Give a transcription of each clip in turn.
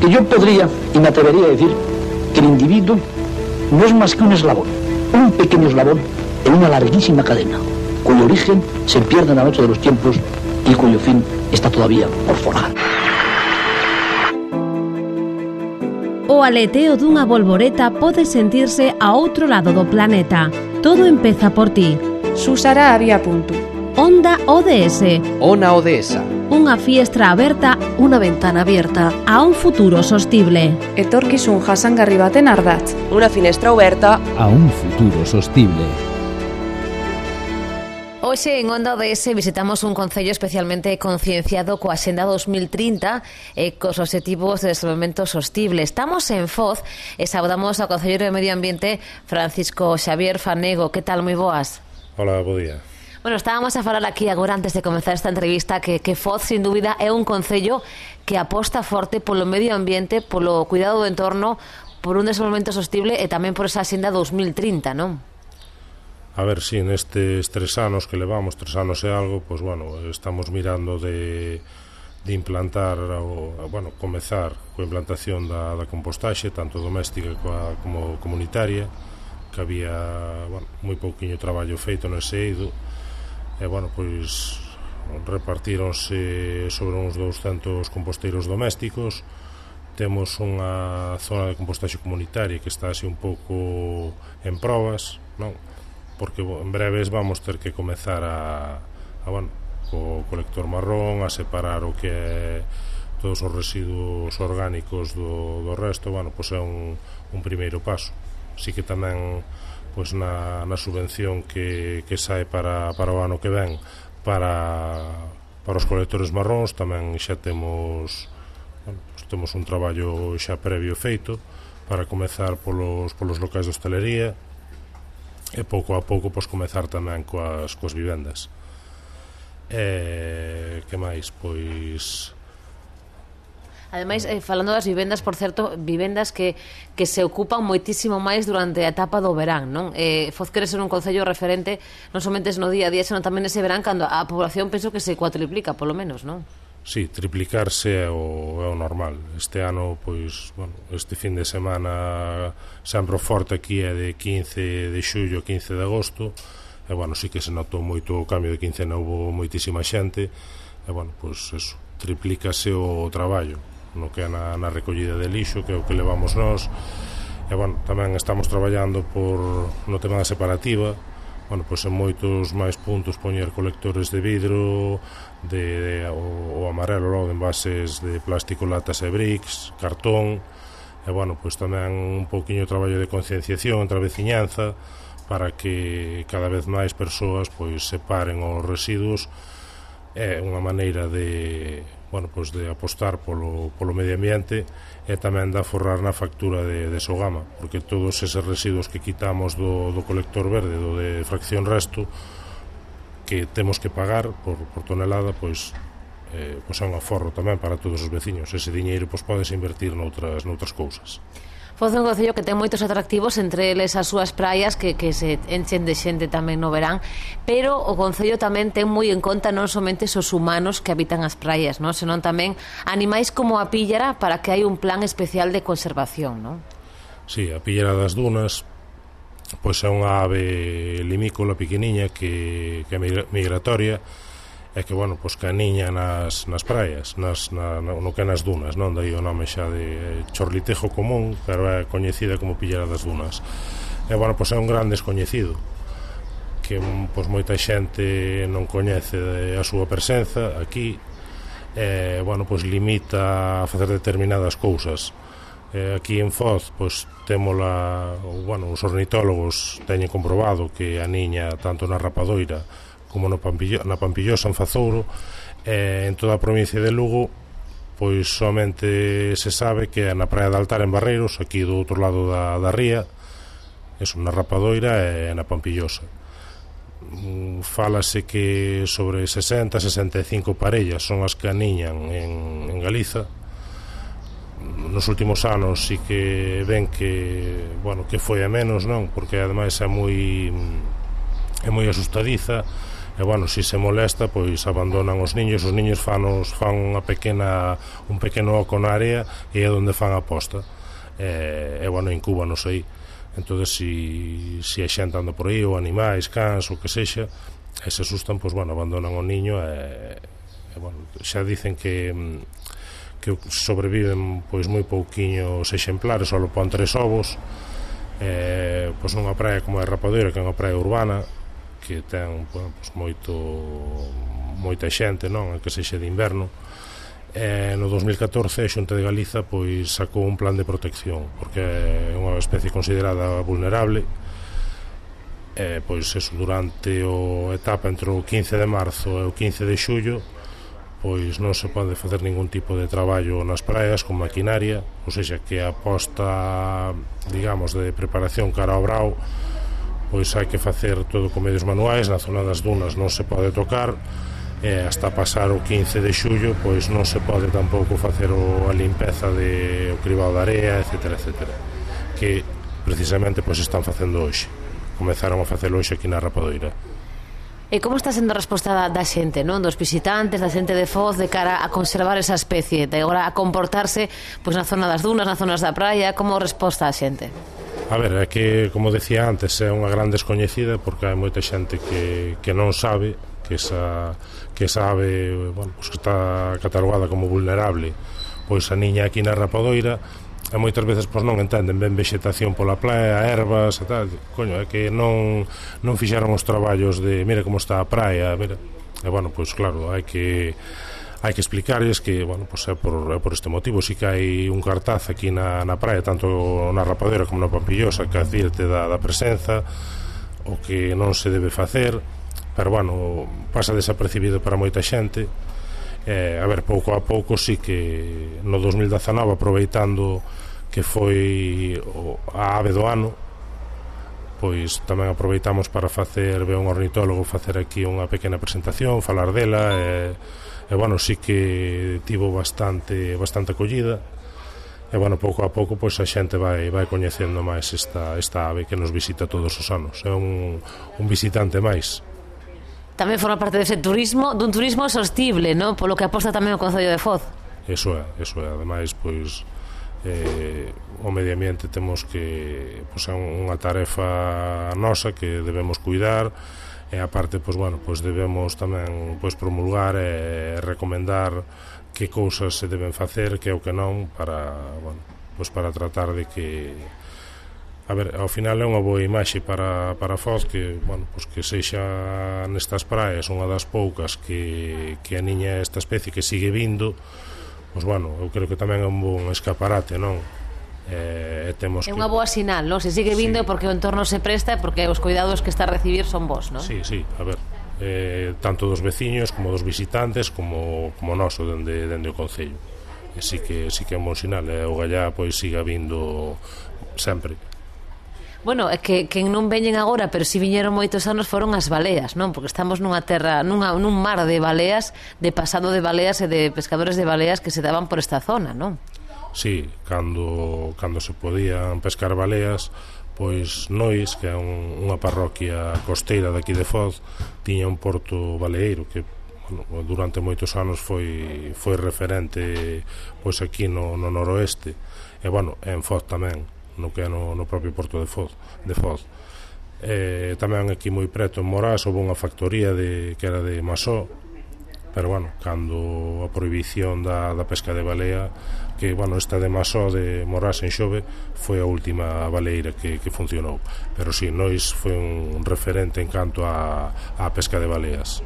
Porque yo podría y me atrevería a decir que el individuo no es más que un eslabón, un pequeño eslabón en una larguísima cadena, cuyo origen se pierde en la noche de los tiempos y cuyo fin está todavía por forjar. O aleteo dunha bolboreta pode sentirse a outro lado do planeta. Todo empeza por ti. Susara había punto. Onda ODS. Ona Odesa. Unha fiestra aberta, unha ventana abierta a un futuro sostible. Etorkizun jasangarri baten ardatz. Una finestra oberta a un futuro sostible. Hoxe en Onda ODS visitamos un concello especialmente concienciado coa Axenda 2030 e cos obxectivos de desenvolvemento sostible. Estamos en Foz e saudamos ao concelleiro de Medio Ambiente Francisco Xavier Fanego. Que tal, moi boas? Hola, bo día. Bueno, estábamos a falar aquí agora antes de comenzar esta entrevista que Foz, sin dúbida, é un concello que aposta forte polo medio ambiente, polo cuidado do entorno, por un desenvolvemento sostible e tamén por esa Axenda 2030, non? A ver, si, nestes 3 anos que levamos, 3 anos e algo, pois, bueno, estamos mirando de implantar, comezar coa implantación da compostaxe, tanto doméstica como comunitaria, que había, moi pouquiño traballo feito nese eido, e, pois, repartíronse sobre uns 200 composteiros domésticos. Temos unha zona de compostaxe comunitaria que está así un pouco en probas, non? Porque en breves vamos ter que comezar co colector marrón a separar o que é todos os residuos orgánicos do resto. Pois é un primeiro paso. Si que tamén pois na subvención que sae para o ano que ven para os colectores marróns tamén xa temos un traballo xa previo feito para comezar polos locais de hostelería e pouco a pouco pois comezar tamén coas vivendas. Que máis? Pois ademais, falando das vivendas, por certo, vivendas que se ocupan moitísimo máis durante a etapa do verán, non? Foz quere ser un concello referente non somente no día a día, senón tamén ese verán cando a población penso que se cuatriplica, polo menos, non? Sí, triplicarse é o normal. Este ano, pois, este fin de semana sempre forte aquí é de 15 de xullo a 15 de agosto e, sí que se notou moito o cambio de quincena, houve moitísima xente e, pois, eso, triplícase o traballo no que é na recollida de lixo, que é o que levamos nós e, tamén estamos traballando no tema da separativa. Pois en moitos máis puntos poñer colectores de vidro, o amarelo logo de envases de plástico, latas e bricks, cartón, e pois tamén un pouquiño de traballo de concienciación entre a veciñanza para que cada vez máis persoas pois separen os residuos. É unha maneira de apostar polo medio ambiente e tamén de aforrar na factura de Sogama, porque todos eses residuos que quitamos do colector verde, do de fracción resto, que temos que pagar por tonelada, pois é un aforro tamén para todos os veciños. Ese diñeiro pois podes invertir noutras cousas. Foz é un concello que ten moitos atractivos, entre eles as súas praias que se enchen de xente tamén no verán, pero o concello tamén ten moi en conta non somente os humanos que habitan as praias, non? Senón tamén animais como a píllara para que hai un plan especial de conservación, non? Sí, a píllara das dunas pois é unha ave limícola pequeniña que é migratoria e que, pois que aniña nas praias, no que nas dunas, non? Daí o nome xa de chorlitejo común, pero é coñecida como píllara das dunas. E, pois é un gran descoñecido que, pois, moita xente non coñece a súa presenza aquí e, pois limita a facer determinadas cousas. Aquí en Foz, pois, os ornitólogos teñen comprobado que aniña tanto na rapadoira como na Pampillosa, en Fazouro, en toda a provincia de Lugo, pois somente se sabe que é na praia de Altar, en Barreiros, aquí do outro lado da ría, na rapadoira e na Pampillosa. Fálase que sobre 60-65 parellas son as que aniñan en Galiza. Nos últimos anos sí que ven que foi a menos, non? Porque ademais é moi asustadiza e bueno, se se molesta, pois abandonan os niños fan un pequeno oco na área e é onde fan a posta, e bueno, incúbanos aí. Entón, se a xente anda por aí, ou animais, cans, ou que sexa, e se asustan, pois bueno, abandonan o niño e bueno, xa dicen que sobreviven pois moi pouquiños exemplares, só pon 3 ovos, pois nunha praia como a Rapadoira, que é unha praia urbana que ten pois, moita xente, non, que sexa de inverno. No 2014 a Xunta de Galiza pois sacou un plan de protección porque é unha especie considerada vulnerable, pois eso, durante a etapa entre o 15 de marzo e o 15 de xullo pois non se pode facer ningún tipo de traballo nas praias con maquinaria, ou seja, que a posta, digamos, de preparación cara ao brao, pois hai que facer todo con medios manuais. Na zona das dunas non se pode tocar, e hasta pasar o 15 de xullo pois non se pode tampouco facer a limpeza o cribado de area, etcétera, etcétera, que precisamente pois están facendo hoxe. Comezaron a facelo hoxe aquí na Rapadoira. E como está sendo a resposta da xente, non? Dos visitantes, da xente de Foz, de cara a conservar esa especie, de agora a comportarse pois na zona das dunas, nas zonas da praia, como resposta a xente? A ver, é que, como decía antes, é unha gran descoñecida porque hai moita xente que non sabe que esa ave, bueno, pues que está catalogada como vulnerable, pois a niña aquí na Rapadoira, e moitas veces pois non entenden ben vegetación pola praia, ervas e tal. Coño, é que non fixeron os traballos de mira como está a praia, mira. E bueno, pois claro, hai que explicarles que, bueno, pois é por este motivo. Si que hai un cartaz aquí na praia, tanto na Rapadoira como na Pampillosa, que advirte da presenza, o que non se debe facer, pero bueno, pasa desapercibido para moita xente. A ver, pouco a pouco sí que no 2019, aproveitando que foi a ave do ano, pois tamén aproveitamos para ver un ornitólogo, facer aquí unha pequena presentación, falar dela, e bueno, sí que tivo bastante acollida, e bueno, pouco a pouco pois a xente vai coñecendo máis esta ave que nos visita todos os anos. É un visitante máis. Tamén forma parte dun turismo sostible, non? Polo que aposta tamén o Concello de Foz. Eso é. Ademais, pois o medio ambiente temos que pois é unha tarefa nosa que debemos cuidar, e aparte pois bueno, pois debemos tamén pois promulgar e recomendar que cousas se deben facer, que o que non, para, bueno, pois para tratar de que, a ver, ao final é unha boa imaxe para Foz, que, bueno, pois que sexa nestas praias unha das poucas que a niña esta especie que sigue vindo. Pois bueno, eu creo que tamén é un bon escaparate, non? Temos é unha boa sinal, non? Se sigue vindo, sí, porque o entorno se presta, porque os cuidados que está a recibir son vos, non? Sí, a ver, tanto dos veciños como dos visitantes como noso dende o Concello. E sí que é un bon sinal, o gallá pois siga vindo sempre. Bueno, é que non veñen agora, pero si viñeron moitos anos, foron as baleas, non? Porque estamos nunha terra, nun mar de baleas, de pasado de baleas e de pescadores de baleas que se daban por esta zona, non? Sí, cando se podían pescar baleas, pois Nois, que é unha parroquia costeira daqui de Foz, tiña un porto baleeiro que, bueno, durante moitos anos foi referente pois aquí no noroeste, e bueno, en Foz tamén, no que é no propio porto de Foz. Tamén aquí moi preto en Morás houve unha factoría que era de Masó, pero bueno, cando a prohibición da pesca de balea, que, bueno, esta de Masó de Morás en Xove foi a última baleeira que funcionou, pero si, Nois foi un referente en canto a pesca de baleas.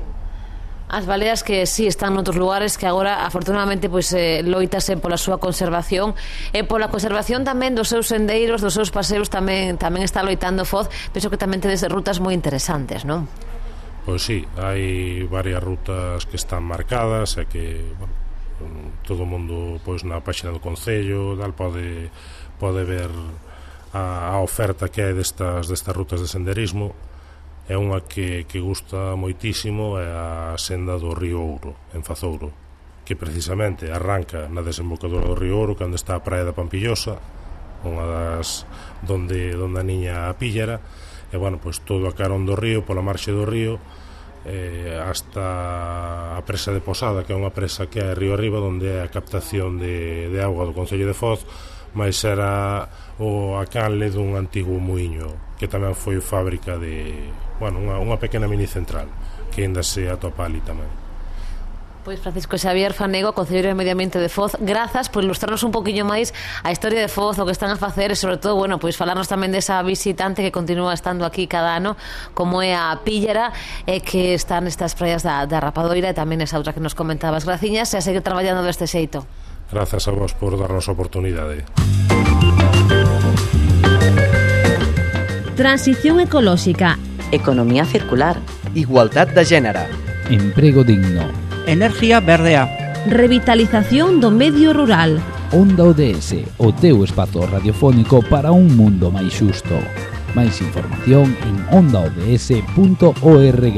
As baleas que sí están noutros lugares, que agora afortunadamente pois loitase pola súa conservación e pola conservación tamén dos seus sendeiros, dos seus paseos, tamén está loitando Foz. Penso que tamén tedes rutas moi interesantes, non? Pois sí, hai varias rutas que están marcadas e que, bueno, todo o mundo pois na páxina do Concello pode ver a oferta que hai destas rutas de senderismo. É unha que gusta moitísimo, é a senda do Río Ouro, en Fazouro, que precisamente arranca na desembocadura do Río Ouro, cando está a praia da Pampillosa, unha das donde a niña a píllera, e bueno, pois todo a carón do río, pola marxe do río, hasta a presa de Posada, que é unha presa que é río arriba, onde é a captación de auga do Concello de Foz, mais era a canle dun antigo muiño que tamén foi fábrica de, bueno, unha pequena mini central que ainda se atopa ali tamén. Pois Francisco Xavier Fanego, Concelleiro de Medio Ambiente de Foz, grazas por ilustrarnos un poquinho máis a historia de Foz, o que están a facer, e sobre todo, bueno, pois falarnos tamén desa visitante que continúa estando aquí cada ano, como é a Píllera, que está nestas praias da Rapadoira, e tamén esa outra que nos comentabas. Graciñas, e a seguir traballando deste xeito. Grazas a vos por darnos a oportunidade. Transición ecolóxica, economía circular, igualdad de género, emprego digno, enerxía verdea, revitalización do medio rural. Onda ODS, o teu espazo radiofónico para un mundo máis xusto. Máis información en ondaods.org.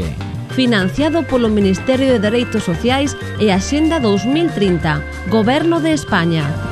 Financiado polo Ministerio de Dereitos Sociais e Axenda 2030, Goberno de España.